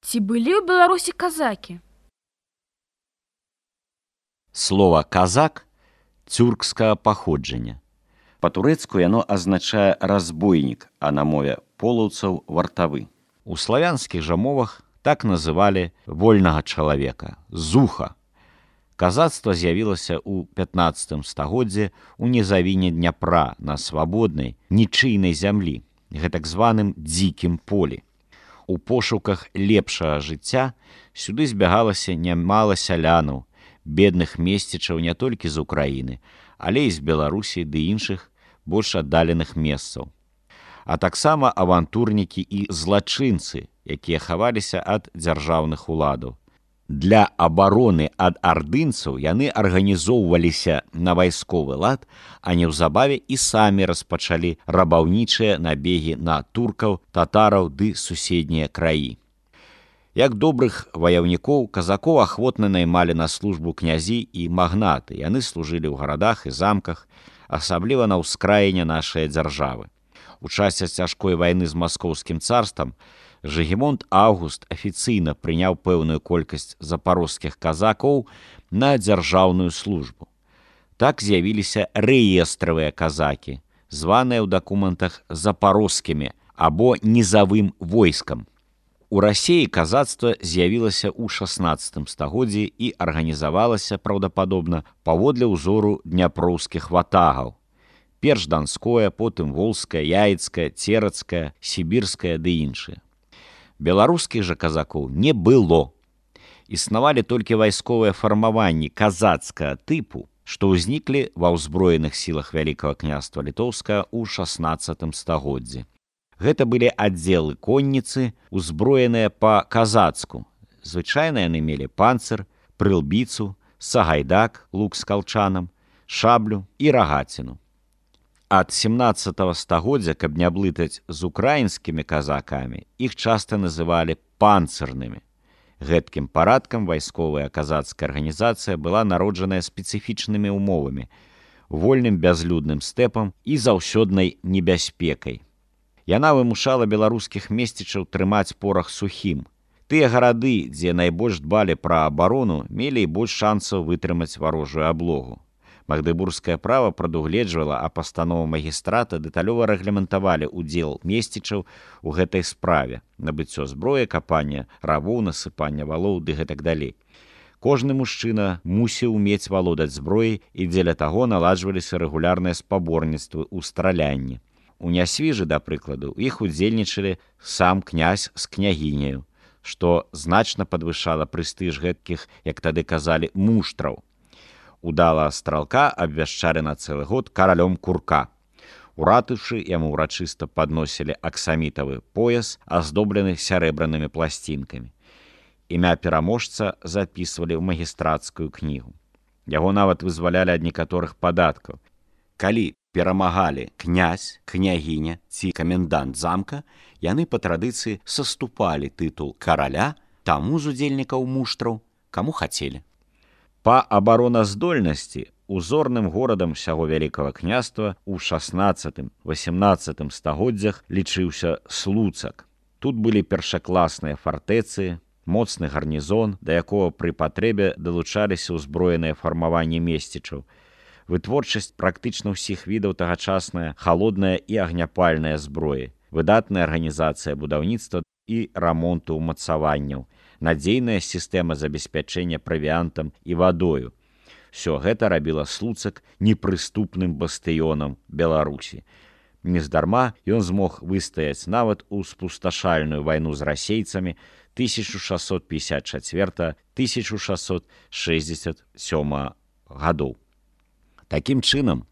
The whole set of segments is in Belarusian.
Ці былі ў Беларусі казакі? Слова «казак» тюркскага паходжання. Па-турэцку яно азначае разбойнік, а на мове полаўцаў вартавы. У славянскіх жа мовах так называлі вольнага чалавека – зуха. Казацтва з'явілася ў 15 стагоддзі ў нізавіне Дняпра на свабоднай, нічыйнай зямлі, гэтак званым дзікім полі. У пошуках лепшага жыцця сюды збягалася нямала сялянаў, бедных месцічаў не толькі з Украіны, але і з Беларусі ды іншых больш аддаленых месцаў. А таксама авантурнікі і злачынцы, якія хаваліся ад дзяржаўных уладаў. Для абароны ад ардынцаў яны арганізоўваліся на вайсковы лад, а неўзабаве і самі распачалі рабаўнічыя набегі на туркаў, татараў ды суседнія краі. Як добрых ваяўнікоў, казакоў ахвотна наймалі на службу князі і магнаты. Яны служылі ў гарадах і замках, асабліва на ўскраіне нашай дзяржавы. У часе цяжкой вайны з маскоўскім царствам Жыгімонт Аўгуст афіцыйна прыняў пэўную колькасць запарожскіх казакоў на дзяржаўную службу. Так з'явіліся рэестравыя казакі, званыя ў дакументах запорожскімі або нізавым войскам. У Расіі казацтва з'явілася ў 16 стагоддзі і арганізавалася, праўдападобна, паводле ўзору дняпроўскіх ватагаў. Перш данское, потым волжскае, яіцкае, церацкае, сібірскае ды іншыя. Беларускіх жа казакоў не было. Існавалі толькі вайсковыя фармаванні казацкага тыпу, што ўзніклі ва ўзброеных сілах Вялікага княства Літоўскага ў 16 стагоддзі. Гэта былі аддзелы конніцы, узброеныя па-казацку. Звычайна яны мелі панцыр, прылбіцу, сагайдак, лук з калчанам, шаблю і рагаціну. Ад 17 стагоддзя, каб не блытаць з украінскімі казакамі, іх часта называлі панцырнымі. Гэткім парадкам вайсковая казацкая арганізацыя была народжаная спецыфічнымі ўмовамі, вольным бязлюдным стэпам і заўсёднай небяспекай. Яна вымушала беларускіх месцічаў трымаць порах сухім. Тыя гарады, дзе найбольш дбалі пра абарону, мелі і больш шансаў вытрымаць варожую аблогу. Магдыбургскае права прадугледжвала, а пастанова магістрата дэталёва рэгламентавалі ўдзел месцічаў у гэтай справе, набыццё зброі, капання равоў, насыпання валоў ды гэтак далей. Кожны мужчына мусіў умець валодаць зброяй, і дзеля таго наладжваліся рэгулярныя спаборніцтвы ў стралянні. У нясвіжы, да прыкладу, іх удзельнічалі сам князь з княгіняю, што значна падвышала прэстыж гэткіх, як тады казалі, муштраў. Удалага стралка абвяшчалі на цэлы год каралём курка. У ратушы яму ўрачыста падносілі аксамітавы пояс, аздоблены сярэбранымі пласцінкамі. Імя пераможца запісвалі ў магістрацкую кнігу. Яго нават вызвалялі ад некаторых падаткаў. Калі перамагалі князь, княгіня ці камендант замка, яны па традыцыі саступалі тытул караля таму з удзельнікаў муштраў, каму хацелі. Па абароназдольнасці узорным горадам усяго Вялікага княства ў 16-18 стагоддзях лічыўся Слуцак. Тут былі першакласныя фартэцы, моцны гарнізон, да якога пры патрэбе далучаліся ўзброеныя фармаванні месцічаў. Вытворчасць практычна ўсіх відаў тагачасная халодная і агняпальная зброі, выдатная арганізацыя будаўніцтва і рамонту ўмацаванняў, надзейная сістэма забеспячэння правіантам і вадою. Всё гэта рабіла Слуцак непрыступным бастыёнам Беларусі. Нездарма ён змог выстаяць нават у спусташальную вайну з расейцамі 1654-1667 гадоў. Такім чынам,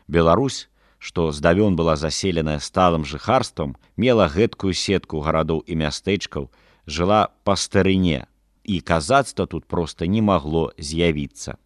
Беларусь, што здавён была заселеная сталым жыхарствам, мела гэткую сетку гарадоў і мястэчкаў, жыла па старыне, і казацтва тут проста не магло з'явіцца.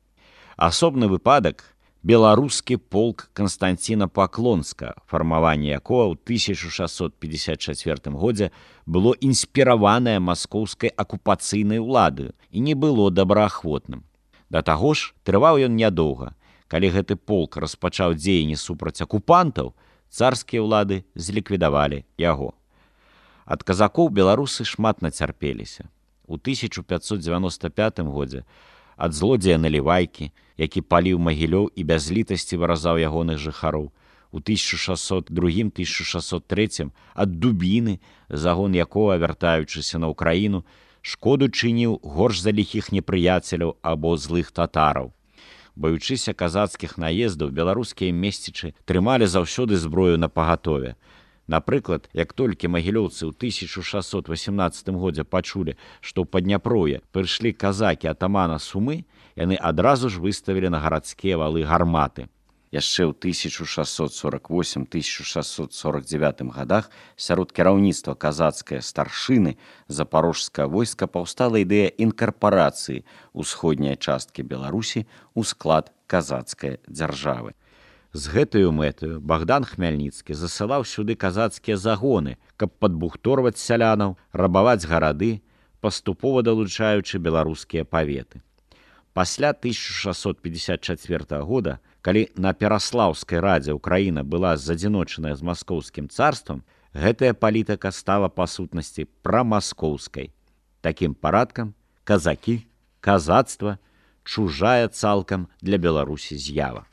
Асобны выпадак – беларускі полк Канстанціна Паклонска, фармаванне якога ў 1654 годзе было інспіраванае маскоўскай акупацыйнай уладаю і не было добраахвотным. Да таго ж, трываў ён нядоўга. Калі гэты полк распачаў дзеянні супраць акупантаў, царскія ўлады зліквідавалі яго. Ад казакоў беларусы шмат нацярпеліся. У 1595 годзе ад злодзея Налівайкі, які паліў Магілёў і без літасці выразаў ягоных жыхароў. У 1602-1603 ад Дубіны, загон якога, вяртаючыся на ўкраіну, шкоду чыніў горш за ліхіх непрыяцеляў або злых татараў. Баючыся казацкіх наездаў, беларускія месцічы трымалі заўсёды зброю напагатове. Напрыклад, як толькі магілёўцы ў 1618 годзе пачулі, што ў Падняпроўе прыйшлі казакі атамана Сумы, яны адразу ж выставілі на гарадскія валы гарматы. Яшчэ ў 1648-1649 годах сярод кіраўніцтва казацкай старшыны запарожскага войска паўстала ідэя інкарпарацыі ўсходняй часткі Беларусі ў склад казацкай дзяржавы. З гэтаю мэтаю Богдан Хмяльніцкі засылаў сюды казацкія загоны, каб падбухторваць сялянаў, рабаваць гарады, паступова далучаючы беларускія паветы. Пасля 1654 года, калі на Пераслаўскай радзе Украіна была задзіночаная з маскоўскім царствам, гэтая палітыка стала па сутнасці прамаскоўскай. Такім парадкам казакі, казацтва чужая цалкам для Беларусі з'ява.